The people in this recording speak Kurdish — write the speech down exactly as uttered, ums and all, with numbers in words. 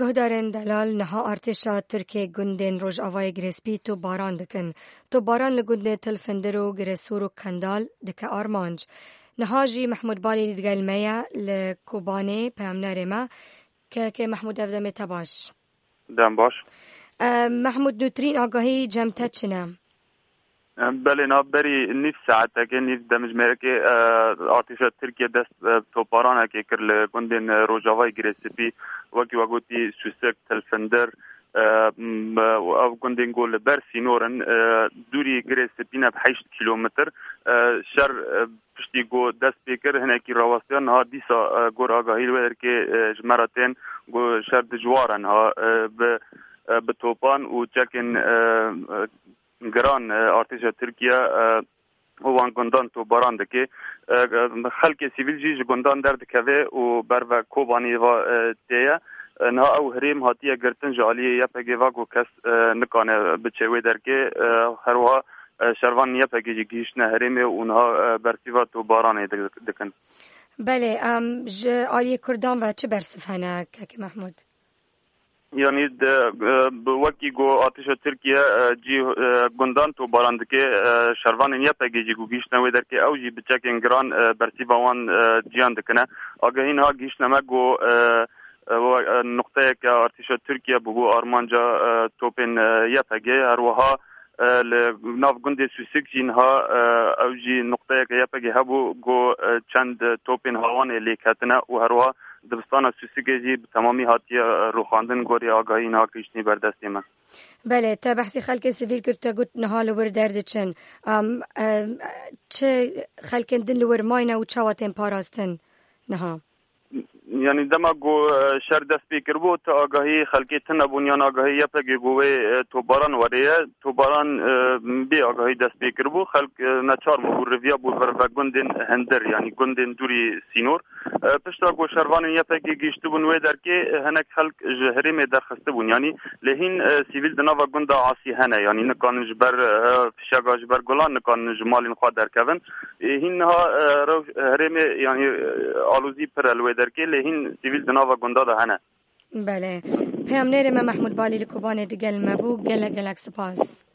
Guhdarên delal niha artêşa Tirkê gundên Rojavayê Girêspî topbaran dikin. Topbaran li gundê Til Findir û Giresûr û Kendal dike armanc. Niha jî Mehmûd Balî digel me ye li Kobanê, peyamnerê me. Kekê Mehmûd, ev demê te baş. Dem baş. E, Mehmûd, nûtirîn agahî cem te çi ne? Belê, nav berî nîv saetekê, nîv demjimêrekê, e, artêşa Tirkiye dest, e, toparanekê kir li gundên, e, Rojavayê Girê Spî, wekî we gotî Sûsik, Tilfindir, e, m, e, ev gundên ku li ber sînor in, e, dûrî Girê Spî ne bi heşt kîlometr, e, şer, e, piştî ku dest pê kir, hinekî rawestiya, niha dîsa, e, gor agahî li wê derkê, e, ji me re tên ku şer dijwar e niha, e, bi, e, bi topan û çekên, e, e, giran, e, artêşa Tirkiye, e, û wan gundan topbaran dike. E, e, xelkê sivîl jî ji gundan derdikeve û ber ve Kobanî va, e, tê ye. E, niha ew herêm hatiye girtin ji aliyê Y P G va ku kes, e, nikane biçe wê derkê. E, herwiha, e, şervanên Y P G jî gihîştine herêmê û niha, e, bersiva topbaranê di-, dikin. Belê, em ji aliyê Kurdan ve çi bersiv hene, Kekê Mehmûd? Yanî de, e, bi wekî ku artêşa Tirkiye, e, cî, e, gundan topbaran dike, e, şervanên Y P G jî ku gihîştine wê derkê ew jî bi çekên giran, e, bersiva wan, e, ciyan dikine. Agahî niha gihîştine me ku, e, e, we, e, nuqteyeke artêşa Tirkiye bûbû armanca, e, topên, e, Y P G. Her wiha, e, li nav gundê Sûsik jî niha, e, ew jî nuqteyeke Y P G hebû ku, e, çend topên hawanê lê ketine û her wiha dibistana Sûsikê jî bi temamî hatiye, e, rûxandin, gorî agahî niha gihîştî ber destê me. Belê, te behsî xelkê sivîl kir, te got niha li wir derdiçin. Em, em, çi xelkên din li wir mayne û çawa tên parastin niha? Yanî dema ku, e, şer dest pê kiribû, ti agahî xelkê tune bûn yan agahî Y P G ku wê, e, topbaran were ye. Topbaran, e, bê agahî dest pê kiribû. Xelk, e, neçar bû, riviyabû ber ve gundên hindir, yanî gundên dûrî sînor. E, pişta ku şervanên Y P G gihîştibûn wê derkê, e, hinek xelk ji herêmê derxistibûn. Yanî lê hîn, e, sivîl di nava gunda Asî hene. Yanî nikanin ji ber, e, fişega ji ber gulan nikanin ji malên xwe derkevin. E, hîn niha, e, rew-, herêmê, yanî, e, alozî pir e li wê derkê, lê hîn sivîl di nava gunda de hene. Belê. Peyamnêrê me Mehmûd Balî li Kobanê digel me bû. Gelek, gelek spas.